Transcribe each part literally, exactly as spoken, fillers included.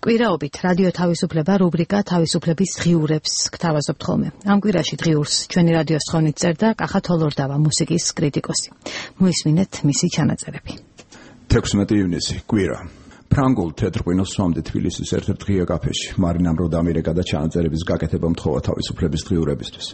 კვირაობით რადიო თავისუფლება რუბრიკა თავისუფლების დღიურებს გთავაზობთ ხოლმე. ამ კვირაში დღიურს ჩვენი რადიოს თხოვნით წერდა კახა თოლორდავა, მუსიკის კრიტიკოსი. მოისმინეთ მისი ჩანაწერები. თექვსმეტი ივნისი, კვირა. ფრანგულ თეთრ-ღვინოს სვამდი თბილისის ერთ-ერთ ღია კაფეში. მარინამ როდამირეკა და ჩანაწერების გაკეთება მთხოვა თავისუფლების დღიურებისთვის.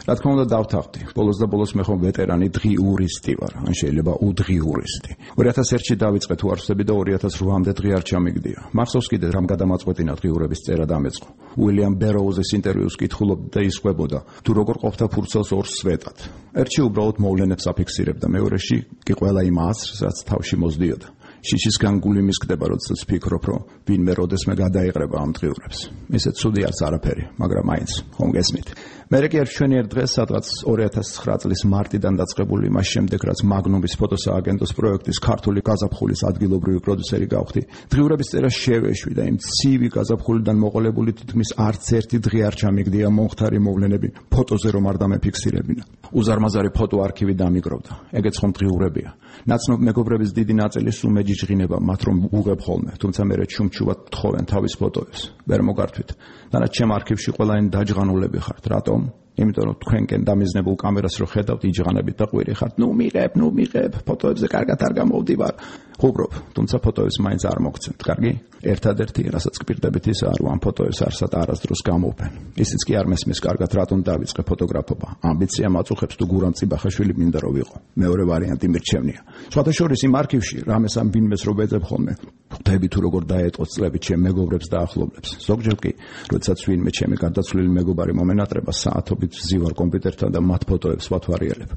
რა თქმა უნდა დავთანხმდი. ბოლოს და ბოლოს მე ხომ ვეტერანი დღიურისტი ვარ, ან შეიძლება უდღიურისტი. ორი ათას ერთში დავიწყე თუ არ ვსები და ორი ათას ოთხამდე დღე არ ჩამიგდია. მახსოვს კიდე რამ გადამაწყვეტინა დღიურების წერა დამეწყო. უილიამ ბეროუზის ინტერვიუს კითხულობდა და ისყვებოდა, თუ როგორ ყოფდა ფურცელს ორ სვეტად. ერთში უბრალოდ მოვლენებს აფიქსირებდა, მეორეში კი ყველა იმ აზრს, რაც თავში მოსდიოდა. შიშისგან გული მისკდება, როდესაც ვფიქრობ, რომ ვინმე როდესმე გადაიყრება ამ დღიურებს. ისე ცუდი არც არაფერი, მაგრამ მაინც ხომ გესმით. მერე კი ჩვენიერ დღეს, სადღაც ორი ათას ცხრა წლის მარტიდან დაწყებული, მას შემდეგ რაც მაგნუმის ფოტოსააგენტოს პროექტის ქართული გაზაფხულის ადგილობრივი პროდიუსერი გავხდი, დღიურების წერა შევეშვი და იმ ცივი გაზაფხულიდან მოყოლებული თითქმის არც ერთი დღე არ ჩამიგდია მომხდარი მოვლენები ფოტოზე რომ არ დამეფიქსირებინა. უზარმაზარი ფოტო არქივი დამიგროვდა. ეგეც ხომ დღიურებია. ნაცნობ მეგობრების დიდი ნაწილი სულ მეჯიჯღინება მათ რომ უღებ ხოლმე, თუმცა მერე ჩუმჩუვად თხოვენ თავის ფოტოებს. ვერ მოგართვით. დანაც ჩემ არქივში ყველანი დაჯღანულები ხართ. რატომ? იმიტომ რომ თქვენკენ დამიზნებულ კამერას რო ხედავთ, იჯღანებით და ყვირი ხართ. ნუ მიღებ, ნუ მიღებ, ფოტოებზე კარგად არ გამოვდივარ. ხუბრობ, თუმცა ფოტოებს მაინც არ მოგცემთ, კარგი? ერთადერთი, რასაც გპირდებით ის არ ამ ფოტოებს არსად არასდროს გამოვფენ. ისიც კი არ მესმის კარგად რატომ დავიწყე ფოტოგრაფობა. ამბიცია მაწუხებს თუ გურამ წიბახაშვილი მინდა რომ ვიყო. მეორე ვარიანტი მირჩევნია. სხვადასხვა იმ არქივში რამეს ამ ბინმეს რო ვეძებ ხოლმე. ხვდები თუ როგორ დაეწყო წლები ჩემ მეგობრებს და ახლობლებს. ზოგჯერ კი, როდესაც ვინმე ჩემი გარდაცვლილი მეგობარი მომენატრება, საათობით ვზივარ კომპიუტერთან და მათ ფოტოებს ვათვალიერებ.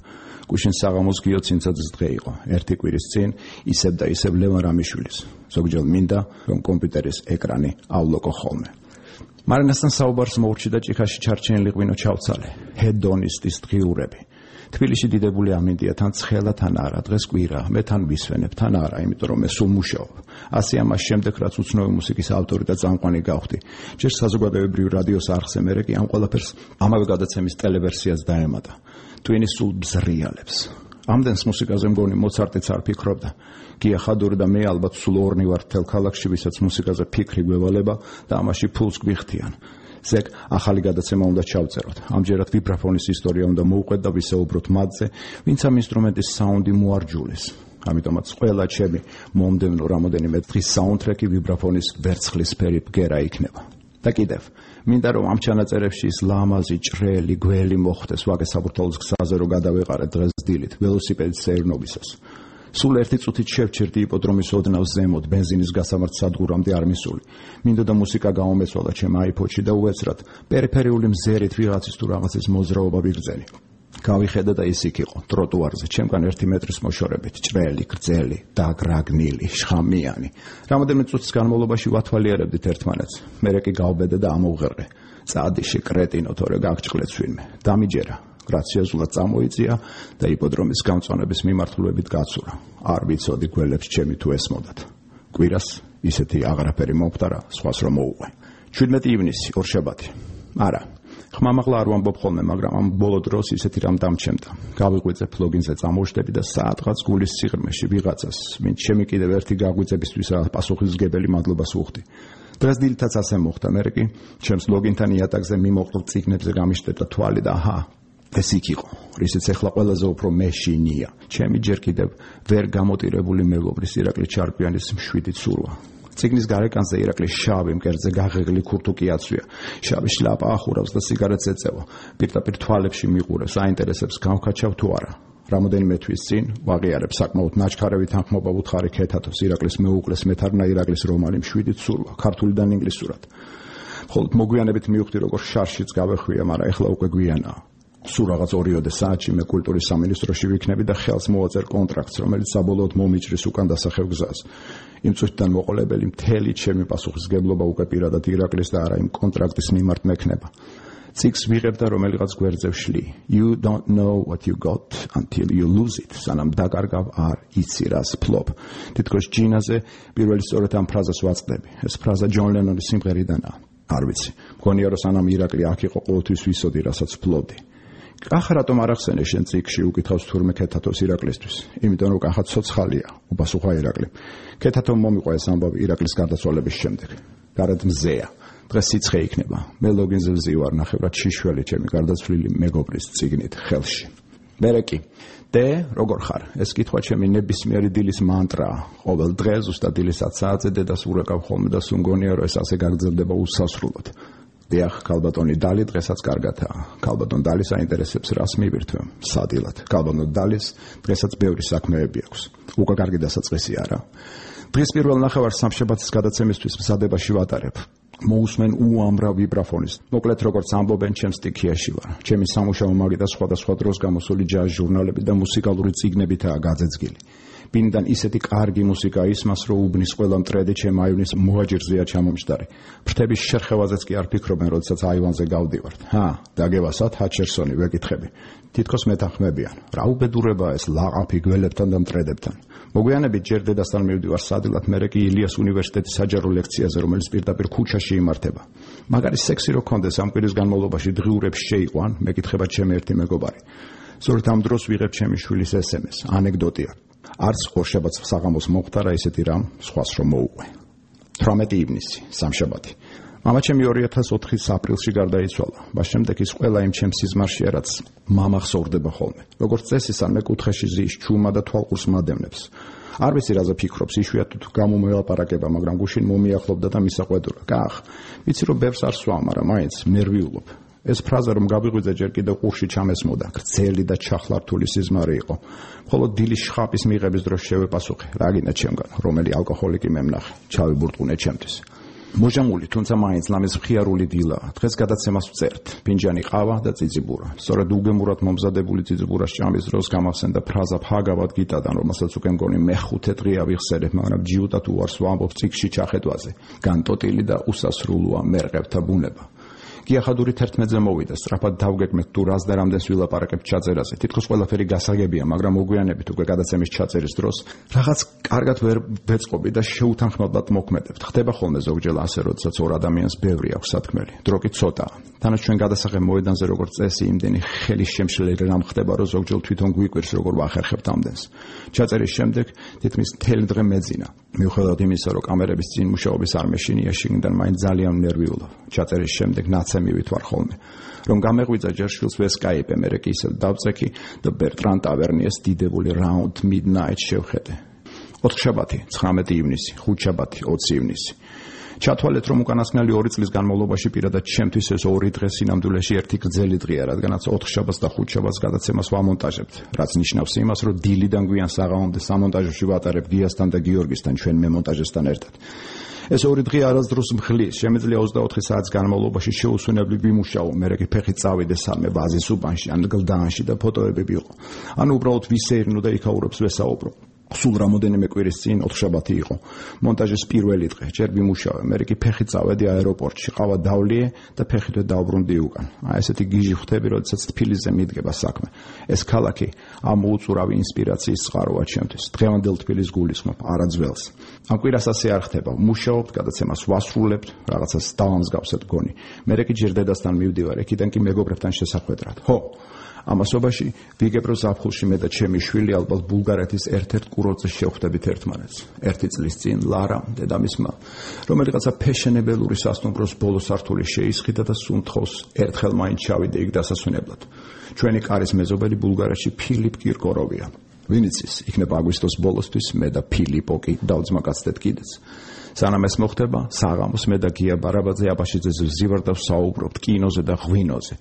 გუშინ საღამოს გიოცინცაძის დღე იყო. ერთი კვირის წინ ისევ და ისევ ლევან რამიშვილის. ზოგჯერ მინდა რომ კომპიუტერის ეკრანიავლოკო ხოლმე. მარინასთან საუბარს მოურჩი და ჭიქაში ჩარჩენილი ღვინო ჩავცალე. ჰედონისტის დღიურები. თბილისში დიდებული ამინდია, თან ცხელა, თან არა. დღეს კვირა, მე თან ვისვენებ, თან არა, იმიტომ რომ მე სულ მუშაობ. ასე ამას შემდეგ რაც უცნობი მუსიკის ავტორი და წამყვანი გავხდი. ჯერ საზოგადოებრივ რადიოს არხზე, მერე კი ამ ყველაფერს ამავე გადაცემის ტელევერსიას დაემატა. twin-ის სულ ბზრიალებს. ამდენს მუსიკაზე მგონი მოცარტიც არ ფიქრობდა. გია ხადური და მე ალბათ სულ ორნი ვართ თელ ქალაქში, ვისაც მუსიკაზე ფიქრი გვევალება და ამაში ფულს გვიხდიან. ზეგ ახალი გადაცემა უნდა ჩავწეროთ. ამჯერად ვიბრაფონის ისტორია უნდა მოვყვეთ და ვისაუბროთ მათზე, ვინც ამ ინსტრუმენტის საუნდი მოარჯულეს. ამიტომაც ყველა ჩემი მომდევნო რამოდენიმე დღის საუნდტრეკი ვიბრაფონის ვერცხლისფერი ბგერა იქნება. და კიდევ, მინდა რომ ამ ჩანაწერებში ის ლამაზი, ჭრელი, გველი მოხდეს ვაგე საბურთალოს გზაზე რომ გადავეყარე დღეს დილით, ველოსიპედით სეირნობისას. სულ ერთი წუთით შევჩერდი იპოდრომის ოდნავს ზემოთ, ბენზინის გასამართ სადგურამდე არ მისული. მინდოდა მუსიკა გამომეცვალა ჩემ აიფოდში და უეცრად პერიფერიული მზერით ვიღაცის თუ რაღაცის მოძრაობა ვიგრძენი. გავიხედა და ის იქ იყო, ტროტუარზე, ჩემგან ერთი მეტრის მოშორებით, ჭრელი, გრძელი, დაგრაგნილი, შხამიანი. რამოდენიმე წუთის განმავლობაში ვათვალიერებდით ერთმანეთს. მერე კი გავბედე და ამოვღერე. წადიში კრეტინო, თორე გაგჭყლեց ვინმე. დამიჯერა. გრაციოზულად წამოიწია და იპოდრომის გამწვანების მიმართულებით გაცურა. არ ვიცოდი გველებს ჩემი თუ ესმოდათ. კვირას ისეთი აღარაფერი მომხდარა, სხვას რომ მოუყვე. შვიდმეტი ივნისი, ორშაბათი. არა, ხმამაღლა არ ვამბობ ხოლმე, მაგრამ ამ ბოლო დროს ისეთი რამ დამჩემდა. გავიღვიძე ფლოგინზე წამოვშდები და საათღაც გულის სიღრმეში ვიღაცას, ვინც ჩემი კიდევ ერთი გაღვიძებისთვის პასუხისმგებელი მადლობას ვუხდი. დღეს დილითაც ასე მოხდა, მერე კი ჩემს ლოგინთან იატაკზე მიმოყრილ წიგნებზე გამიშტერდა თვალი და აჰა, ეს იქ იყო, რისიც ეხლა ყველაზე უფრო მეშინია. ჩემი ჯერ კიდევ ვერ გამოტირებული მეგობრის ირაკლი ჩარკვიანის მშვიდი ცურვა. წიგნის გარეკანზე ირაკლის შავი მკერდზე გაღეღლი ქურთუკი აცვია. შავი შლაპა ახურავს და სიგარეტს ეწევა. პირდაპირ თვალებში მიყურებს, აინტერესებს გავქაჩავ თუ არა. რამოდენიმე თვის წინ ვაღიარებ საკმაოდ ნაჩქარევით თანხმობა ვუთხარი ქეთათოს ირაკლის მეუღლეს მეთარნა ირაკლის რომანი მშვიდი ცურვა, ქართულიდან ინგლისურად. მხოლოდ მოგვიანებით მივხვდი როგორ შარშიც გავეხვია, მაგრამ ეხლა უკვე გვიანაა. სულ რაღაც ორიოდე საათში მე კულტურის სამინისტროში ვიქნები და ხელს მოვაწერ კონტრაქტს, რომელიც საბოლოოდ მომიჭრის უკან დასახევ გზას. იმ წუთიდან მოყოლებელი მთელი ჩემი პასუხისგებლობა უკვე პირადად ირაკლის და არა იმ კონტრაქტის მიმართ მექნება. წიგნს ვიღებ და რომელიღაც გვერდზე ვშლი. You don't know what you got until you lose it. სანამ დაკარგავ არ იცი რას ფლობ. თითქოს ჯინაზე პირველი სწორედ ამ ფრაზას ვაწყდები. ეს ფრაზა ჯონ ლენონის სიმღერიდანაა. არ ვიცი. მგონია რომ სანამ ირაკლი აქ იყო ყოველთვის ვისოდი, რასაც ფლობდი. კახა რატომ არ ახსენე შენ წიგნში უკითხავს თურმე ქეთათოს ირაკლისთვის? იმიტომ რომ კახა ცოცხალია, უპასუხა ირაკლი. ქეთათომ მომიყვა ეს ამბავი ირაკლის გარდაცვალების შემდეგ. გარეთ მზეა. დღეს სიცხე იქნება. მე ლოგინზე ვზივარ ნახევრად შიშველი ჩემი გარდაცვლილი მეგობრის წიგნით ხელში. მერე კი დე როგორ ხარ? ეს კითხვა ჩემი ნებისმიერი დილის მანტრაა. ყოველ დღე ზუსტად დილის ათ საათზე დედას ურეკავ ხოლმე და სუნგონია რომ ეს ასე გაგრძელდება უსასრულოდ. დიახ, ქალბატონი დალი დღესაც კარგათაა. ქალბატონ დალი საინტერესებს რას მივირთვე? სადილად. ქალბატონ დალის დღესაც ბევრი საქმეები აქვს. უკა კარგი დასაწყისი არა. დღის პირველ ნახევარს სამშაბათის გადაცემისთვის მზადებაში ვატარებ. მოусმენ უამრავ ვიბრაფონის. მოკლედ როგორც ამბობენ, ჩემ სტიქიაში ვარ. ჩემი სამუშაო მაგიდა სხვადასხვა დროს გამოსული ჯაზ ჟურნალები და მუსიკალური წიგნებითაა გაძეძგილი. ბინდან ისეთი კარგი მუსიკა ისმას, რომ უბნის ყველა მტრედი ჩემ აივნის მოაჯირზეა ჩამომჯდარი. ფრთების შერხევაზეც კი არ ფიქრობენ, როდესაც აივანზე გავდივართ. ჰა, დაგევასათ ჰაჩერსონი ვეკითხები. თითქოს მეთანხმებიან. რა უბედურებაა ეს ლაყაფი გველებთან და მტრედებთან. მოგვიანებით ჯერ დედასთან მივდივარ სადილად, მერე კი ილიას უნივერსიტეტის საჯარო ლექციაზე, რომელიც პირდაპირ ქუჩაში იმართება. მაგარი სექსი რო ქონდეს ამ კვირის განმავლობაში დღიურებს შეიყვან, მეკითხება ჩემი ერთი მეგობარი. სწორედ ამ დროს ვიღებ ჩემი შვილის ეს ემ ეს, ანეკდოტია. არც ორშაბათს საღამოს მომხდარა ისეთი რამ, სხვას რომ მოუყვე. თვრამეტი ივნისი, სამშაბათი. მამა ჩემი ორი ათას ოთხის აპრილში გარდაიცვალა. მას შემდეგ ის ყველა იმ ჩემს სიზმარშია, რაც მამა ხსოვრდება ხოლმე. როგორც წესისა, მე კუთხეში ზის ჩუმა და თვალყურს მადევნებს. არ ვიცი რაზე ფიქრობს, იშვიათად გამომელაპარაკება, მაგრამ გუშინ მომიახლოვდა და მისაყვედურა. კახ, ვიცი რომ ბევრს არ სვამ, მაგრამ მაინც ნერვიულობ. ეს ფრაზა რომ გავიღვიძე ჯერ კიდევ ყურში ჩამესმოდა, გრძელი და ჩახლართული სიზმარი იყო. მხოლოდ დილის შხაპის მიღების დროს შევეპასუხე, რა გინდა ჩემგან, რომელი ალკოჰოლიკი მემნახე, ჩავიბურტყუნე ჩემთვის. მოჟამული, თუმცა მაინც ლამის მხიარული დილაა. დღეს გადაცემას ვწერთ, ფინჯანი ყავა და წიწიბურა. სწორედ უგემურად მომზადებული წიწიბურას ჭამის დროს გამახსენდა ფრაზა ფაგავად გიტადან, რომელსაც უკვე მგონი მეხუთე დღეა ვიხსენებ, მაგრამ ჯიუტად უარს ვამბობ წიგში ჩახედვაზე. განტოტილი და უსასრულოა მერყევთა ბუნება. გიახადური თერთმეტზე მოვიდა, სწრაფად დავგეგმეთ თუ რას და რამდენს ვილაპარაკებთ ჩაწერაზე. თითქოს ყველაფერი გასაგებია, მაგრამ მოგვიანებით უკვე გადაცემის ჩაწერის დროს რაღაც კარგად ვერ ვეწყობი და შეუთანხმებლად მოქმედებთ. ხდება ხოლმე ზოგჯერ ასე, როდესაც ორ ადამიანს ბევრი აქვს სათქმელი. დრო კი ცოტაა. თანაც ჩვენ გადასაღებ მოედანზე როგორც წესი, იმდენი ხელის შემშლელი რამ ხდება, რომ ზოგჯერ თვითონ გვიკვირს, როგორ ვახერხებთ ამდენს. ჩაწერის შემდეგ თითქმის მთელი დღე მეძინა. მიუხედავად იმისა, რომ კამერების წინ მუშაობის არ მეშინია, შიგნიდან მაინც ძალიან ნერვიულობ. ჩაწერის შემდეგ ნაცემივით ვარ ხოლმე. რომ გამეღვიძა ჯერ შვილს ვესკაიპე, მერე კი ისევ დავწექი და ბერტრან ტავერნიეს დიდებული Round Midnight შევხედე. ოთხშაბათი, ცხრამეტი ივნისი, ხუთშაბათი, ოცი ივნისი. ჩათვალეთ, რომ უკანასკნელი ორი წლის განმავლობაში პირადად ჩემთვის ეს ორი დღე სინამდვილეში ერთი გრძელი დღეა, რადგანაც ოთხშაბათს და ხუთშაბათს გადაცემას ვამონტაჟებთ, რაც ნიშნავს იმას, რომ დილიდან გვიან საღამომდე სამონტაჟოში ვატარებ გიასთან და გიორგისთან, ჩვენ მემონტაჟესთან ერთად. ეს ორი დღე არასდროს მხლის, შემიძლია ოცდაოთხი საათის განმავლობაში შეუსვენებლი ვიმუშაო, მერე კი ფეხით წავიდე სამე ბაზის უბანში, ან გლდანში და ფოტოები ვიყო. ანუ უბრალოდ ვისეირნო და იქაურებს ვესაუბრო. სულ რამოდენიმე კვირის წინ ოთხშაბათი იყო. მონტაჟის პირველი დღე, ჯერ ვიმუშავე, მერე კი ფეხით წავედი აეროპორტში, ყავა დავლიე და ფეხითვე დავბრუნდი უკან. აი ესეთი გიჟი ხვდები, როდესაც თბილისზე მიდგება საქმე. ეს ქალაქი ამ უწურავი ინსპირაციის წყაროა ჩემთვის. დღევანდელ თბილისს გულისხმობ, არა ძველს. ამ კვირას ასე არ ხდება. ვმუშაობთ, გადაცემას ვასრულებთ, რაღაცას დავამსგავსეთ გონი. მერე კი ჯერ დედასთან მივდივარ, იქიდან კი მეგობრებთან შესახვედრად. ხო, ამასობაში ვიგებ რომ ზაფხულში მე და ჩემი შვილი ალბათ ბულგარეთის ერთ-ერთ კურორტზე შევხვდებით ერთმანეთს. ერთი წლის წინ ლარა, დედამისმა, რომელიღაცა ფეშენებელური სასტუმროს ბოლო სართული შეისხიდა და სუნთხოვს ერთხელ მაინც ჩავიდე იქ დასასვენებლად. ჩვენი კარის მეზობელი ბულგარეთში ფილიპ კირკოროვია. ვინ იცის, იქნება აგვისტოს ბოლოსთვის მე და ფილიპო კი დავძმაკაცდეთ კიდეც. სანამ ეს მოხდება, საღამოს მე და გია ბარაბაძე აბაშიძეზე ვზივარ და ვსაუბრობთ კინოზე და ღვინოზე.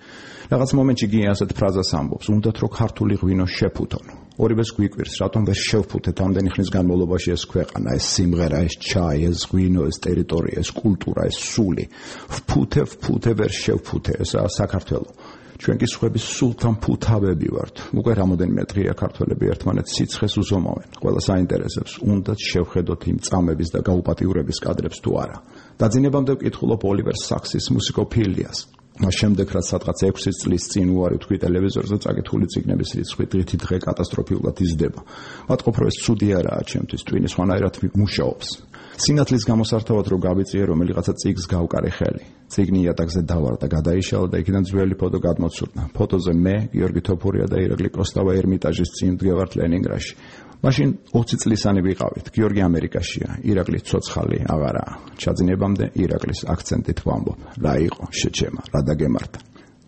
რაღაც მომენტში გია ასეთ ფრაზას ამბობს, უნდათ რომ ქართული ღვინო შეფუთონ. ორივეს გვიკვირს, რატომ ვერ შევფუთეთ ამდენი ხნის განმავლობაში ეს ქვეყანა, ეს სიმღერა, ეს ჩაი, ეს ღვინო, ეს ტერიტორია, ეს კულტურა, ეს სული. ვფუთე, ვფუთე, ვერ შევფუთე, ესაა საქართველო. ჩვენ კი სხვების სულთან ფუთავები ვართ. უკვე რამოდენიმე დღეა ქართველები ერთმანეთს სიცხეს უზომავენ. ყველას აინტერესებს, უნდათ შევხედოთ იმ წამების და გაუპატიურების კადრებს თუ არა. დაძინებამდე ვკითხულობ ოლივერ საქსის მუსიკოფილიას. მას შემდეგ რაც სადღაც ექვსი წლის წინ უარი ვთქვი ტელევიზორზე, წაკითხული წიგნების რიცხვი დღითი დღე კატასტროფულად იზრდება. ვატყობ, რომ ეს ცუდი არაა ჩემთვის, ტვინი სხვანაირად მუშაობს. სინათლის გამოსართავად რომ გავიწიე რომელიღაცა წიგს გავკარე ხელი. წიგნი იატაკზე დავარ და გადაიშალა და იქიდან ძველი ფოტო გადმოცურდა. ფოტოზე მე, გიორგი თოფურია და ირაკლი კოსტავა ერმიტაჟის წინ ვდგევართ ლენინგრადში. მაშინ ოცი წლისანი ვიყავით. გიორგი ამერიკაშია, ირაკლის ცოცხალი აღარაა. ჩაძინებამდე ირაკლის აქცენტით ვამბობ. რა იყო შეჩემა, რა დაგემართა.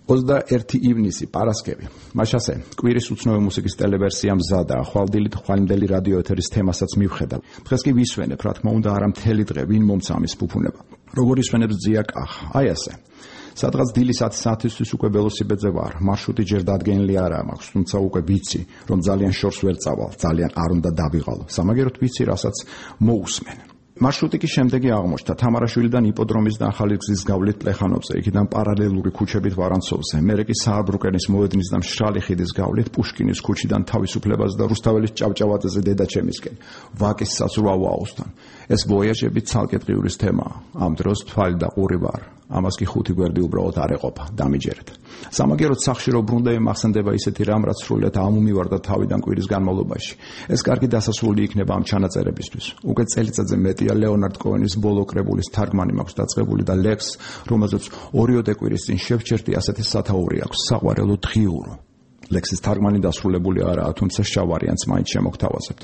ოცდაერთი ივნისი, პარასკევი. მაშასე, კვირის უცნობი მუსიკის ტელევერსია მზადაა. ხვალდილით ხვალინდელი რადიო ეთერის თემასაც მივხედავ. დღეს კი ვისვენებ, რა თქმა უნდა, არა მთელი დღე, ვინ მომცა ამის ფუფუნება. როგორ ისვენებს ძია კახა. აი ასე. სადღაც დილის ათი საათისთვის უკვე ველოსიპედზე ვარ. მარშრუტი ჯერ დადგენილი არაა მაქვს, თუმცა უკვე ვიცი, რომ ძალიან შორს ვერ წავალ, ძალიან არ უნდა დავიღალო. სამაგეროდ ვიცი, რასაც მოусმენ. მარშრუტი კი შემდეგი აღმოჩნდა. თამარაშვილიდან იპოდრომის და ახალი გზის გავლით პლეხანოვზე, იქიდან პარალელური ქუჩებით ვარანცოვზე, მერე კი სააბრუკენის მოედნის და მშრალი ხიდის გავლით პუშკინის ქუჩიდან თავისუფლებას და რუსთაველის ჭავჭავაძეზე დედაჩემისკენ, ვაკის საცურაო-აოსთან. ეს ვოიაჟები ცალკე დღიურის თემაა. ამ დროს თვალი და ყური ვარ. ამას კი ხუთი გვერდი უბრალოდ არ ეყოფა, დამიჯერეთ. სამაგეროდ სახში რო ბრუნდები მახსენდება ისეთი რამ, რაც სრულიად ამომივარდა თავიდან კვირის განმავლობაში. ეს კარგი დასასრული იქნება ამ ჩანაწერებისთვის. უკვე წელიწადზე მეტია ლეონარდ კოენის ბოლო კრებულის თარგმანი მაქვს დაწყებული და ლექს, რომელზეც ორიოდე კვირის წინ შევჩერდი ასეთი სათაური აქვს, საყვარელო დღიურო. ლექსის თარგმანი დასრულებული არაა, თუმცა შავ ვარიანტს მაინც შემოგთავაზებთ.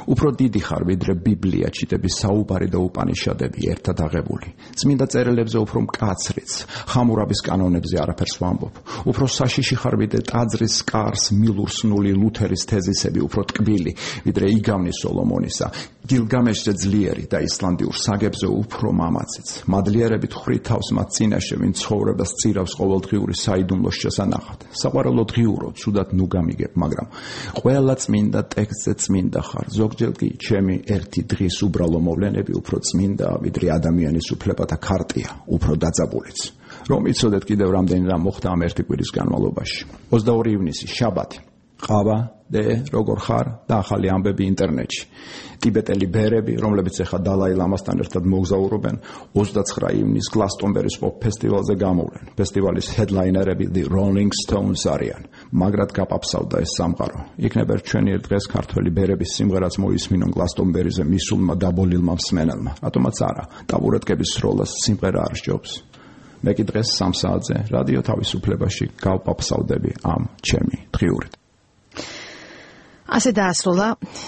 უფრო დიდი ხარ ვიდრე ბიბლია, ჩიტების საუბარი და უპანიშადები ერთად აღებული. წმინდა წერილებზე უფრო მკაცრიც, ხამურაბის კანონებზე არაფერს ვამბობ. უფრო საშიში ხარ ვიდრე ტაძრის კარს მილურსნული ლუთერის თეზისები, უფრო ტკბილი ვიდრე იგავნის სოლომონისა. გილგამეშზე ძლიერი და ისლანდიურ საგებზე უფრო მამაციც. მადლიერებით ხვრი თავს მათ წინაშე, ვინ ცხოვრებას წირავს ყოველდღიური საიდუმლოს შესანახად. საყვარელო დღიურო, ცუდად ნუ გამიგებ, მაგრამ ყველა წმინდა ტექსტზე წმინდა ხარ. ზოგჯერ კი ჩემი ერთი დღის უბრალო მოვლენები უფრო წმინდაა, ვიდრე ადამიანის უფლებათა ქარტია, უფრო დაძაბულიც. რომ იცოდეთ კიდევ რამდენი რამ მოხდა ამ ერთი კვირის განმავლობაში. ოცდაორი ივნისი, შაბათი. ყავა, დე, როგორ ხარ და ახალი ამბები ინტერნეტში. ტიბეტელი ბერები, რომლებიც ახლა დალაი ლამასთან ერთად მოგზაურობენ, ოცდაცხრა ივნისს გლასტონბერის პოპ ფესტივალზე გამოვლენ. ფესტივალის ჰედლაინერები The Rolling Stones არიან. მაგრად გაპაფსავდა ეს სამყარო. იქნება ჩვენი ერთ დღეს ქართველი ბერების სიმღერაც მოისმინონ გლასტონბერიზე მისულმა დაბოლილმა მსმენელმა. რატომაც არა, ტაბურეტკების სროლას სიმღერა არ სჯობს. მე კი დღეს სამ საათზე რადიო თავისუფლებაში გავპაფსავდები ამ ჩემი დღიურით. ასე დაასრულა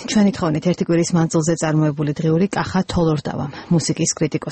ჩვენი თხოვნით ერთი კვირის მანძილზე წარმოებული დღიური კახა თოლორდავა, მუსიკის კრიტიკოსი.